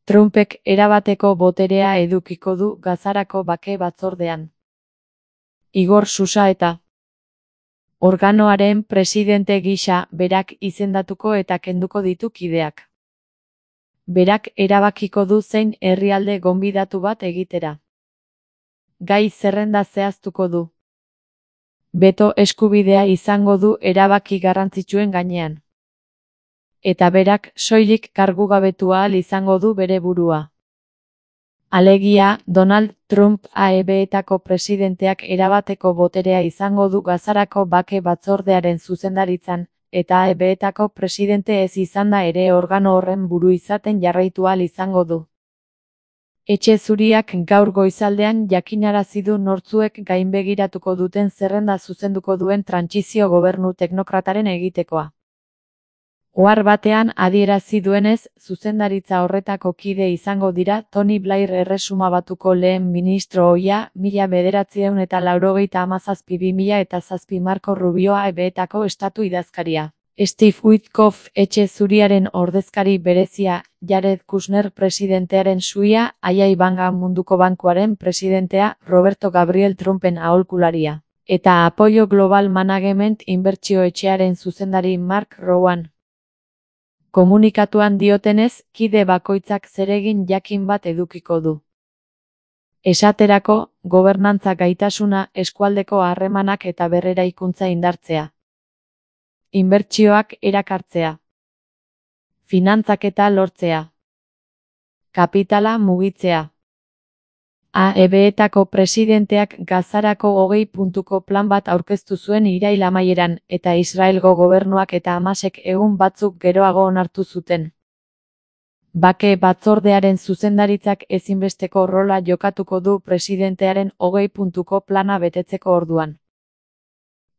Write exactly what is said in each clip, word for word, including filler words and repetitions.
Trumpek erabateko boterea edukiko du Gazarako bake batzordean. Igor Xusaeta organoaren presidente gisa berak izendatuko eta kenduko ditu kideak. Berak erabakiko du zein herrialde gonbidatu bat egitera. Gai zerrenda zehaztuko du. Beto eskubidea izango du erabaki garrantzitsuen gainean. Eta berak soilik kargugabetu ahal izango du bere burua. Alegia, Donald Trump A E B-etako presidenteak erabateko boterea izango du Gazarako bake batzordearen zuzendaritzan, eta A E B-etako presidente ez izanda ere organo horren buru izaten jarraitu ahal izango du. Etxe Zuriak gaur goizaldean jakinarazi du nortzuek gainbegiratuko duten zerrenda zuzenduko duen trantsizio gobernu teknokrataren egitekoa. Ohar batean adierazi duenez, zuzendaritza horretako kide izango dira Tony Blair Erresuma Batuko lehen ministro ohia, mila bederatziehun eta laurogeita hamazazpi bi mila eta zazpi Marco Rubio A E B-etako estatu idazkaria. Steve Witkoff Etxe Zuriaren ordezkari berezia, Jared Kushner presidentearen suia, Aya Ivanka Munduko Bankuaren presidentea, Roberto Gabriel Trumpen aholkularia, eta Apollo Global Management inbertsio etxearen zuzendari Mark Rowan. Komunikatuan diotenez, kide bakoitzak zeregin jakin bat edukiko du. Esaterako, gobernantza gaitasuna, eskualdeko harremanak eta berreraikuntza indartzea. Inbertsioak erakartzea. Finantzaketa lortzea. Kapitala mugitzea. A E B-etako presidenteak Gazarako hogei puntuko plan bat aurkeztu zuen irail amaieran, eta Israelgo gobernuak eta Hamasek egun batzuk geroago onartu zuten. Bake batzordearen zuzendaritzak ezinbesteko rola jokatuko du presidentearen hogei puntuko plana betetzeko orduan.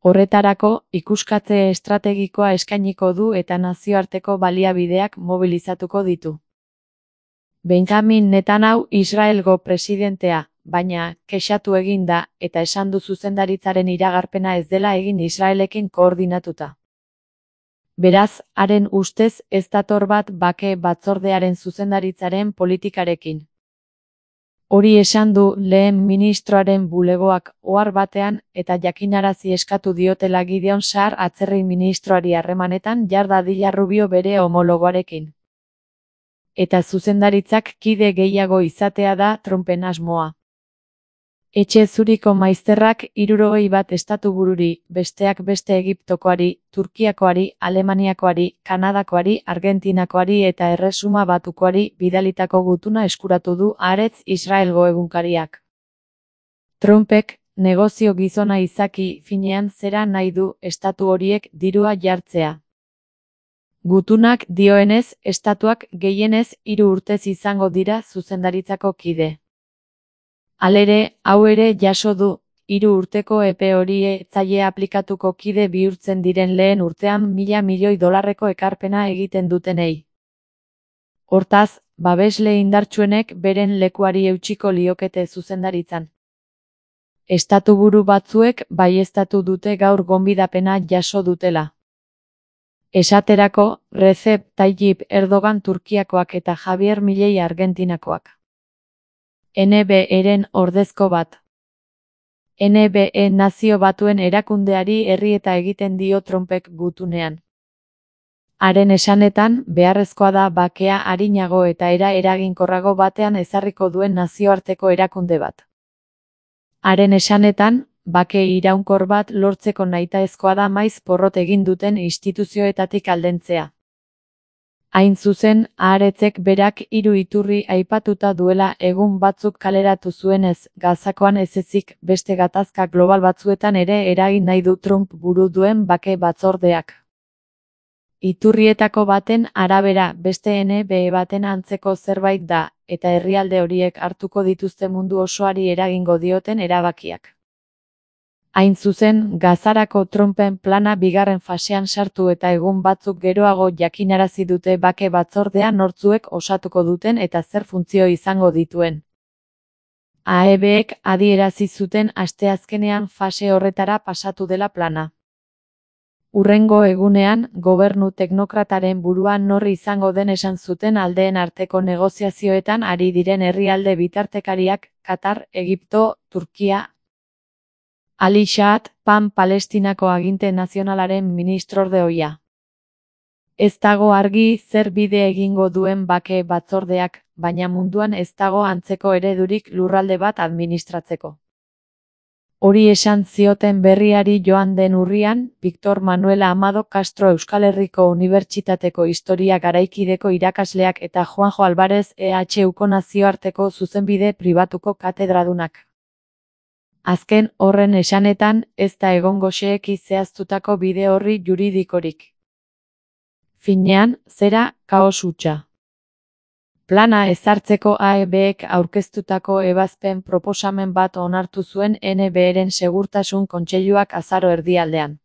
Horretarako, ikuskatze estrategikoa eskainiko du eta nazioarteko baliabideak mobilizatuko ditu. Benjamin Netanyahu Israelgo presidentea, baina, kexatu egin da, eta esan du zuzendaritzaren iragarpena ez dela egin Israelekin koordinatuta. Beraz, haren ustez ez dator bat bake batzordearen zuzendaritzaren politikarekin. Hori esan du lehen ministroaren bulegoak ohar batean eta jakinarazi eskatu diotela Gideon Saar atzerri ministroari harremanetan jar dadila Rubio bere homologoarekin. Eta zuzendaritzak kide gehiago izatea da Trumpen asmoa. Etxe Zuriko maizterrak hirurogei bat estatubururi, besteak beste Egiptokoari, Turkiakoari, Alemaniakoari, Kanadakoari, Argentinakoari eta Erresuma Batukoari bidalitako gutuna eskuratu du Haaretz Israelgo egunkariak. Trumpek, negozio gizona izaki, finean zera nahi du estatu horiek dirua jartzea. Gutunak dioenez, estatuak gehienez hiru urtez izango dira zuzendaritzako kide. Halere, hau ere jaso du, hiru urteko epe hori ez zaie aplikatuko kide bihurtzen diren lehen urtean mila milioi dolarreko ekarpena egiten dutenei. Hortaz, babesle indartsuenek beren lekuari eutsiko liokete zuzendaritzan. Estatuburu batzuek baieztatu dute gaur gonbidapena jaso dutela. Esaterako, Recep Tayyip Erdogan Turkiakoak eta Javier Milei Argentinakoak. N B E-ren ordezko bat. N B E Nazio Batuen erakundeari herrieta egiten dio Trumpek gutunean. Haren esanetan, beharrezkoa da bakea arinago eta era eraginkorrago batean ezarriko duen nazioarteko erakunde bat. Haren esanetan, bake iraunkor bat lortzeko nahitaezkoa da maiz porrot egin duten instituzioetatik aldentzea. Hain zuzen, Haaretzek berak hiru iturri aipatuta duela egun batzuk kaleratu zuenez, Gazakoan ez ezik beste gatazka global batzuetan ere eragin nahi du Trump buru duen bake batzordeak. Iturrietako baten arabera beste N B E baten antzeko zerbait da, eta herrialde horiek hartuko dituzte mundu osoari eragingo dioten erabakiak. Hain zuzen, Gazarako Trumpen plana bigarren fasean sartu eta egun batzuk geroago jakinarazi dute bake batzordea nortzuek osatuko duten eta zer funtzio izango dituen. A E B-ek adierazi zuten asteazkenean fase horretara pasatu dela plana. Hurrengo egunean, gobernu teknokrataren burua nor izango den esan zuten aldeen arteko negoziazioetan ari diren herrialde bitartekariak, Katar, Egipto, Turkia. Ali Shahat, Pan Palestinako aginte nazionalaren ministrorde ohia. Ez dago argi zer bide egingo duen bake batzordeak, baina munduan ez dago antzeko eredurik lurralde bat administratzeko. Hori esan zioten berriari joan den urrian, Victor Manuel Amado Castro Euskal Herriko Unibertsitateko Historia Garaikideko irakasleak eta Juanjo Alvarez E H Uko nazioarteko zuzenbide pribatuko katedradunak. Azken horren esanetan, ez da egongo xeheki zehaztutako bide horri juridikorik. Finean, zera, kaos hutsa. Plana ezartzeko A E Bek aurkeztutako ebazpen proposamen bat onartu zuen N Bren Segurtasun Kontseiluak azaro erdialdean.